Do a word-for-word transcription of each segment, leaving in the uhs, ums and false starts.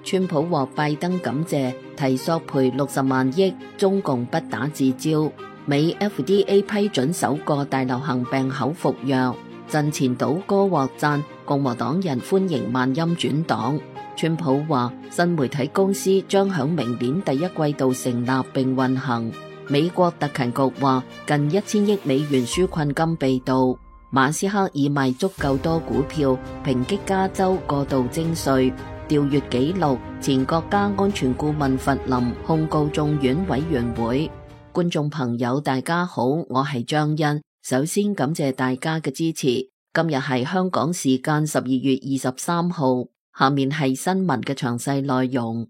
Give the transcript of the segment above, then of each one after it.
川普獲拜登感謝，提索賠六十萬億，中共不打自招。美 F D A 批准首個大流行病口服藥。陣前倒戈獲讚，共和黨人歡迎萬欽轉黨。川普話新媒體公司將響明年第一季度成立並運行。美國特勤局話近一千億美元紓困金被盜。馬斯克已賣足夠多股票，抨擊加州過度徵稅。調閱紀錄，前國家安全顧問弗林控告眾院委員會。觀眾朋友大家好，我係張欣，首先感謝大家嘅支持。今日係香港時間十二月二十三號，下面係新聞嘅詳細內容。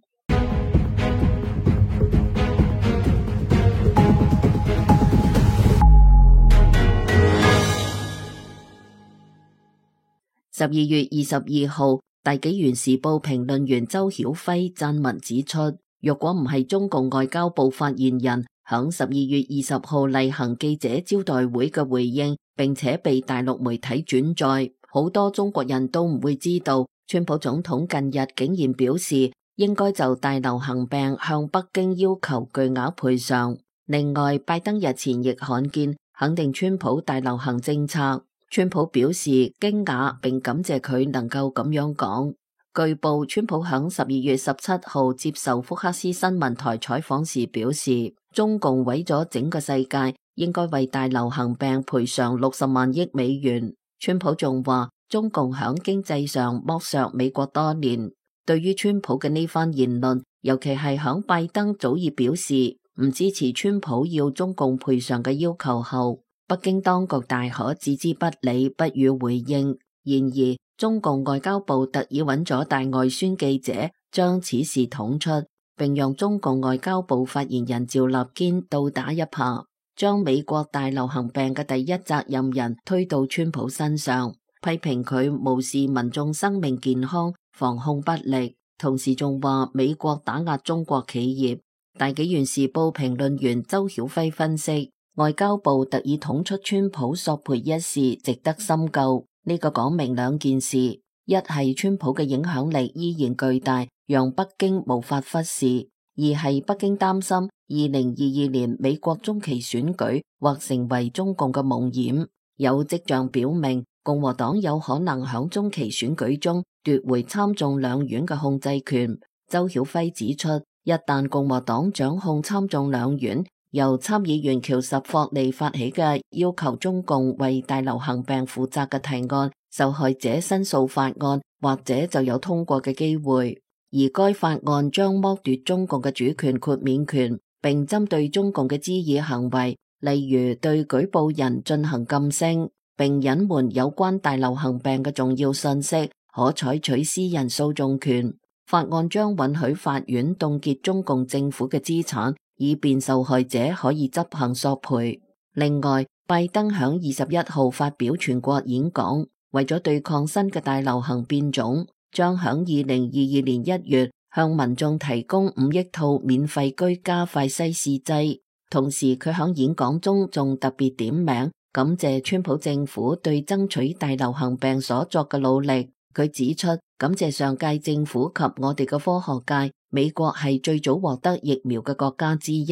十二月二十二號，大紀元時報評論員周曉輝撰文指出，若果唔係中共外交部發言人響十二月二十號例行記者招待會嘅回應，並且被大陸媒體轉載，好多中國人都唔會知道，川普總統近日竟然表示應該就大流行病向北京要求巨額賠償。另外，拜登日前亦罕見肯定川普大流行政策。川普表示驚訝並感謝佢能夠咁樣講。據報，川普響十二月十七號接受福克斯新聞台採訪時表示，中共毀咗整個世界，應該為大流行病賠償六十萬億美元。川普仲話，中共響經濟上剝削美國多年。對於川普嘅呢番言論，尤其係響拜登早已表示唔支持川普要中共賠償嘅要求後，北京當局大可置之不理，不予回應。然而，中共外交部特意揾咗大外宣記者將此事捅出，並讓中共外交部發言人趙立堅倒打一耙，將美國大流行病嘅第一責任人推到川普身上，批評佢無視民眾生命健康，防控不力，同時仲話美國打壓中國企業。大紀元時報評論員周曉輝分析，外交部特意捅出川普索賠一事值得深究，呢個講明兩件事：一係川普嘅影響力依然巨大，讓北京無法忽視；二係北京擔心二零二二年美國中期選舉或成為中共嘅夢魘。有跡象表明，共和黨有可能響中期選舉中奪回參眾兩院嘅控制權。周曉輝指出，一旦共和黨掌控參眾兩院，由參議員喬什霍利發起嘅要求中共為大流行病負責嘅提案受害者申訴法案，或者就有通過嘅機會。而該法案將剝奪中共嘅主權豁免權，並針對中共嘅滋擾行為，例如對舉報人進行禁聲，並隱瞞有關大流行病嘅重要信息，可採取私人訴訟權。法案將允許法院凍結中共政府嘅資產，以便受害者可以執行索賠。另外，拜登響二十一號發表全國演講，為咗對抗新嘅大流行變種，將響二零二二年一月向民眾提供五億套免費居家快篩試劑。同時，佢響演講中仲特別點名感謝川普政府對爭取大流行病所作嘅努力。佢指出，感謝上屆政府及我哋嘅科學界，美國係最早獲得疫苗嘅國家之一。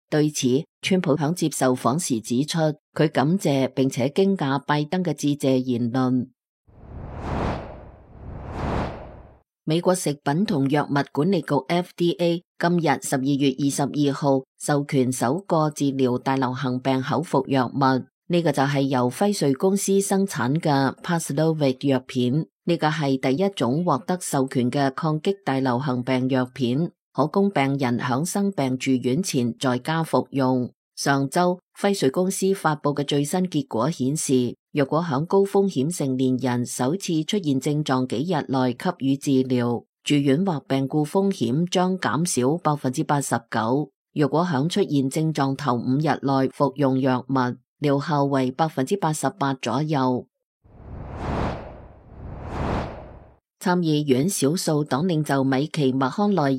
對此，川普響接受訪時指出，佢感謝並且驚訝拜登嘅致謝言論。美國食品同藥物管理局 F D A 今日十二月二十二號授權首個治療大流行病口服藥物，呢、這個就係由輝瑞公司生產嘅 Paxlovid 藥片。呢個係第一種獲得授權嘅抗擊大流行病藥片，可供病人響生病住院前在家服用。上周輝瑞公司發佈嘅最新結果顯示，若果響高風險成年人首次出現症狀幾日內給予治療，住院或病故風險將減少百分之八十九。若果響出現症狀頭五日內服用藥物，療效為百分之八十八左右。參議院少數黨領袖米奇麥康奈爾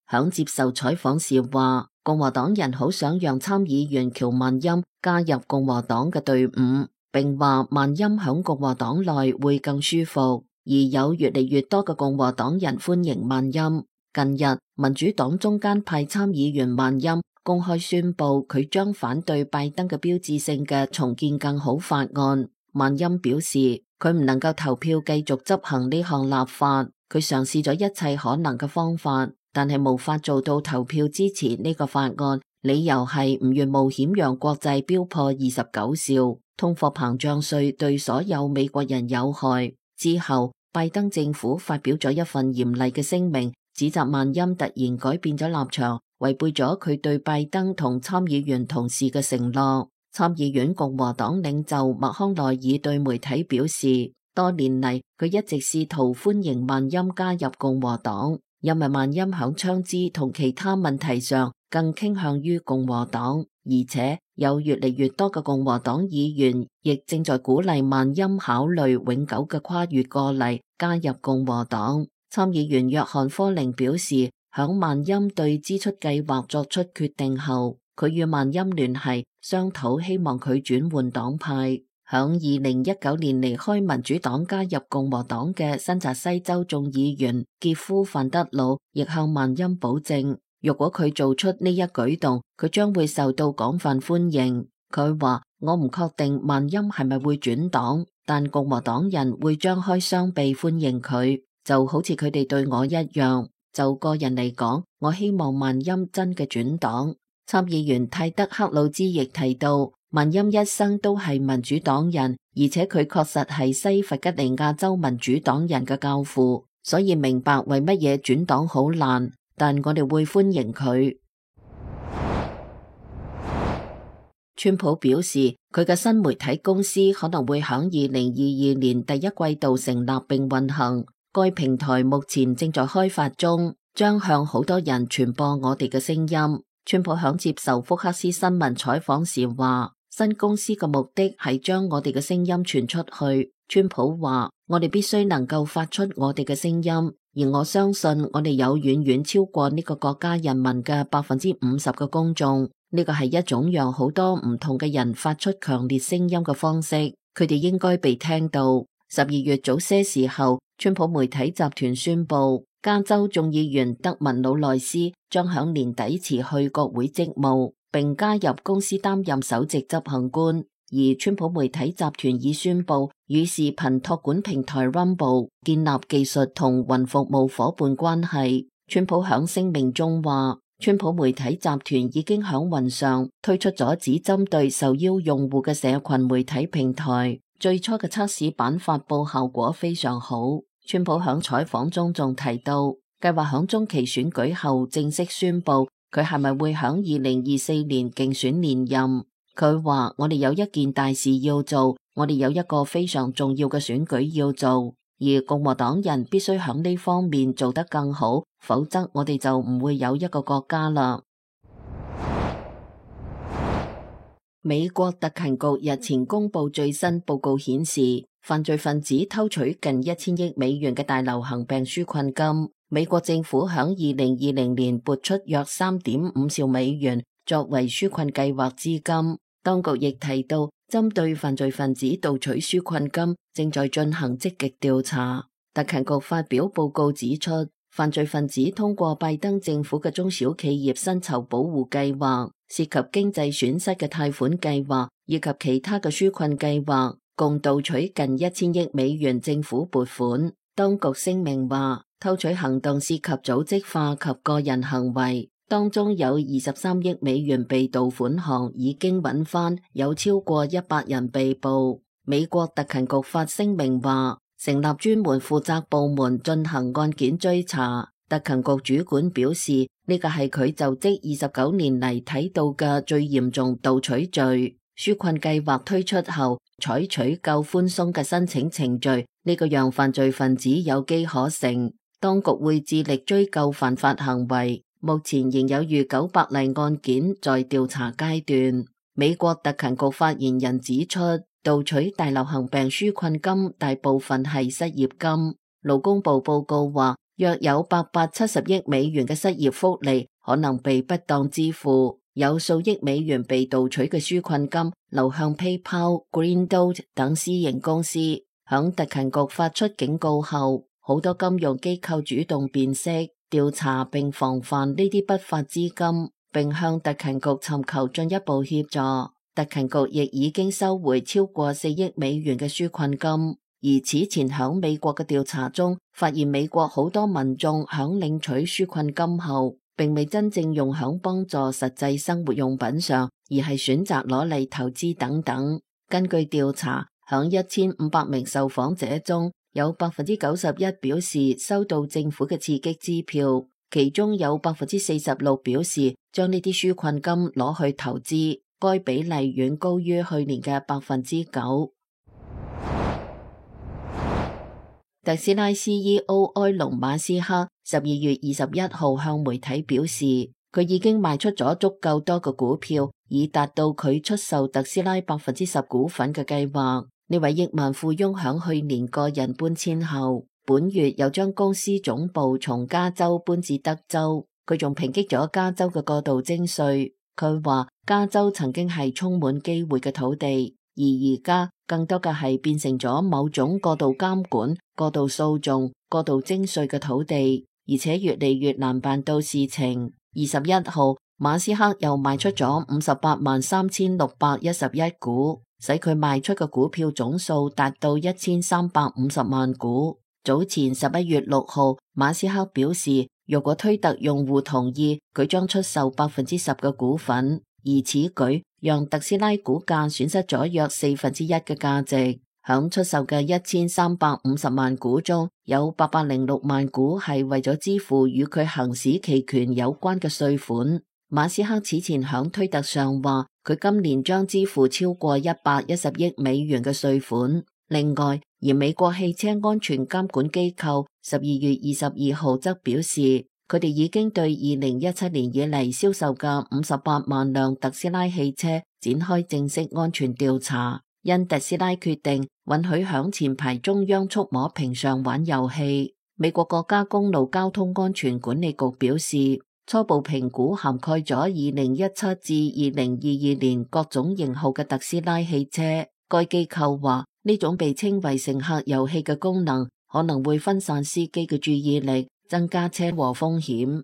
響接受採訪時話，共和黨人好想讓參議員喬萬欽加入共和黨嘅隊伍，並話萬欽響共和黨內會更舒服，而有越嚟越多嘅共和黨人歡迎萬欽。近日，民主黨中間派參議員曼欽公開宣布，佢將反對拜登嘅標誌性嘅重建更好法案。曼欽表示，佢唔能夠投票繼續執行呢項立法，佢嘗試咗一切可能嘅方法，但係無法做到投票支持呢個法案。理由係唔願冒險讓國債飆破二十九兆，通貨膨脹稅對所有美國人有害。之後，拜登政府發表咗一份嚴厲嘅聲明，指責曼欽突然改變咗立場，違背咗佢對拜登同參議員同事嘅承諾。參議院共和黨領袖麥康奈爾對媒體表示，多年嚟佢一直試圖歡迎曼欽加入共和黨，因為曼欽響槍支同其他問題上更傾向於共和黨，而且有越嚟越多嘅共和黨議員亦正在鼓勵曼欽考慮永久嘅跨越過嚟加入共和黨。參議員約翰科寧表示，響曼欽對支出計劃作出決定後，佢與曼欽聯繫商討，希望佢轉換黨派。響二零一九年離開民主黨加入共和黨嘅新澤西州眾議員傑夫范德魯亦向曼欽保證，如果佢做出呢一舉動，佢將會受到廣泛歡迎。佢話：我唔確定曼欽係咪會轉黨，但共和黨人會張開雙臂歡迎佢，就好似佢哋對我一樣。就個人嚟講，我希望曼欽真嘅轉黨。參議員泰德克魯茲亦提到，曼欽一生都係民主黨人，而且佢確實係西弗吉尼亞州民主黨人嘅教父，所以明白為乜嘢轉黨好難。但我哋會歡迎佢。川普表示，佢嘅新媒體公司可能會喺二零二二年第一季度成立並運行。該平台目前正在開發中，將向好多人傳播我哋嘅聲音。川普響接受福克斯新聞採訪時話，新公司嘅目的係將我哋嘅聲音傳出去。川普話，我哋必須能夠發出我哋嘅聲音，而我相信我哋有遠遠超過呢個國家人民嘅百分之五十嘅公眾。呢個係一種讓好多唔同嘅人發出強烈聲音嘅方式，佢哋應該被聽到。十二月早些時候，川普媒體集團宣布，加州眾議員德文魯內斯將響年底辭去國會職務，並加入公司擔任首席執行官。而川普媒體集團已宣布與視頻託管平台 Rumble 建立技術同雲服務夥伴關係。川普響聲明中話，川普媒體集團已經響雲上推出咗只針對受邀用戶嘅社群媒體平台。最初嘅測試版發佈效果非常好。川普響採訪中仲提到，計劃響中期選舉後正式宣布佢係咪會響二零二四年競選連任。佢話：我哋有一件大事要做，我哋有一個非常重要嘅選舉要做，而共和黨人必須響呢方面做得更好，否則我哋就唔會有一個國家啦。美國特勤局日前公布最新報告顯示，犯罪分子偷取近一千億美元嘅大流行病紓困金。美國政府響二零二零年撥出約三點五兆美元作為紓困計劃資金。當局亦提到，針對犯罪分子盜取紓困金，正在進行積極調查。特勤局發表報告指出，犯罪分子通過拜登政府嘅中小企業薪酬保護計劃、涉及經濟損失嘅貸款計劃以及其他嘅紓困計劃，共盜取近一千億美元政府撥款。當局聲明話，偷取行動涉及組織化及個人行為，當中有二十三億美元被盜款項已經揾返，有超過一百人被捕。美國特勤局發聲明話，成立專門負責部門進行案件追查。特勤局主管表示，呢個係佢就職二十九年嚟睇到嘅最嚴重盜取罪。紓困計劃推出後，採取較寬鬆嘅申請程序，呢個讓犯罪分子有機可乘。當局會致力追究犯法行為。目前仍有逾九百例案件在調查階段。美國特勤局發言人指出，盜取大流行病紓困金大部分係失業金。勞工部報告話，約有八百七十億美元嘅失業福利可能被不當支付，有數億美元被盜取嘅紓困金流向 PayPal、Green Dot 等私營公司。響特勤局發出警告後，好多金融機構主動辨識。調查並防範呢啲不法資金，並向特勤局尋求進一步協助。特勤局亦已經收回超過四億美元嘅紓困金，而此前響美國嘅調查中，發現美國好多民眾響領取紓困金後，並未真正用響幫助實際生活用品上，而係選擇攞嚟投資等等。根據調查，響一千五百名受訪者中，有百分之九十一表示收到政府嘅刺激支票，其中有百分之四十六表示將呢啲紓困金攞去投資，該比例遠高於去年嘅百分之九。特斯拉 C E O 埃隆馬斯克十二月二十一號向媒體表示，佢已經賣出咗足夠多嘅股票，以達到佢出售特斯拉百分之十股份嘅計劃。呢位億萬富翁響去年個人搬遷後，本月又將公司總部從加州搬至德州。佢仲抨擊咗加州嘅過度徵稅。佢話加州曾經係充滿機會嘅土地，而而家更多嘅係變成咗某種過度監管、過度訴訟、過度徵稅嘅土地，而且越嚟越難辦到事情。二十一號，馬斯克又賣出咗五十八萬三千六百一十一股，使佢賣出嘅股票總數達到一千三百五十萬股。早前十一月六號，馬斯克表示，若果推特用戶同意，佢將出售百分之十嘅股份，而此舉讓特斯拉股價損失咗約四分之一嘅價值。響出售嘅一千三百五十萬股中，有八百零六萬股係為咗支付與佢行使期權有關嘅稅款。馬斯克此前響推特上話，佢今年將支付超過一百一十億美元嘅稅款。另外，而美國汽車安全監管機構十二月二十二號則表示，佢哋已經對二零一七年以嚟銷售嘅五十八萬輛特斯拉汽車展開正式安全調查，因特斯拉決定允許響前排中央觸摸屏上玩遊戲。美國國家公路交通安全管理局表示，初步評估涵蓋咗二零一七至二零二二年各種型號嘅特斯拉汽車。該機構話，呢種被稱為乘客遊戲嘅功能可能會分散司機嘅注意力，增加車禍風險。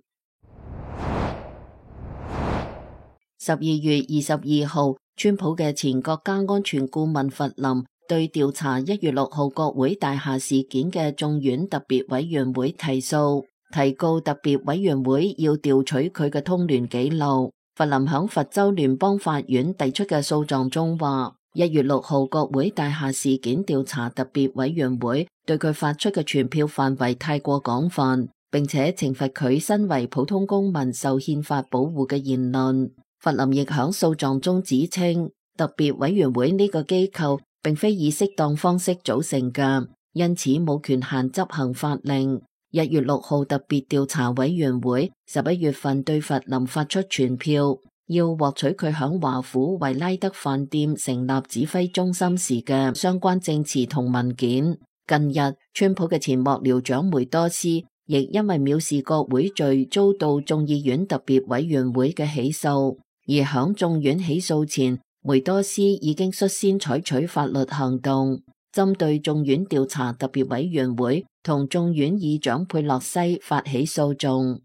十二月二十二號，川普嘅前國家安全顧問弗林對調查一月六號國會大廈事件嘅眾院特別委員會提訴，提告特別委員會要調取佢嘅通聯記錄。弗林響佛州聯邦法院提出嘅訴狀中話，一月六號國會大廈事件調查特別委員會對佢發出嘅傳票範圍太過廣泛，並且懲罰佢身為普通公民受憲法保護嘅言論。弗林亦響訴狀中指稱，特別委員會呢個機構並非以適當方式組成嘅，因此冇權限執行法令。一月六號特別調查委員會十一月份對弗林發出傳票，要獲取佢響華府維拉德飯店成立指揮中心時嘅相關證詞同文件。近日，川普嘅前幕僚長梅多斯亦因為藐視國會罪遭到眾議院特別委員會嘅起訴，而響眾院起訴前，梅多斯已經率先採取法律行動，針對眾院調查特別委員會同眾院議長佩洛西發起訴訟。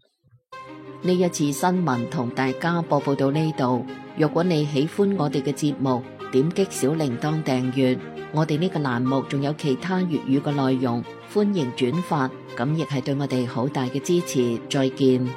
呢一次新聞同大家播報到呢度。若果你喜歡我哋嘅節目，點擊小鈴鐺訂閱。我哋呢個欄目仲有其他粵語嘅內容，歡迎轉發，咁亦係對我哋好大嘅支持。再見。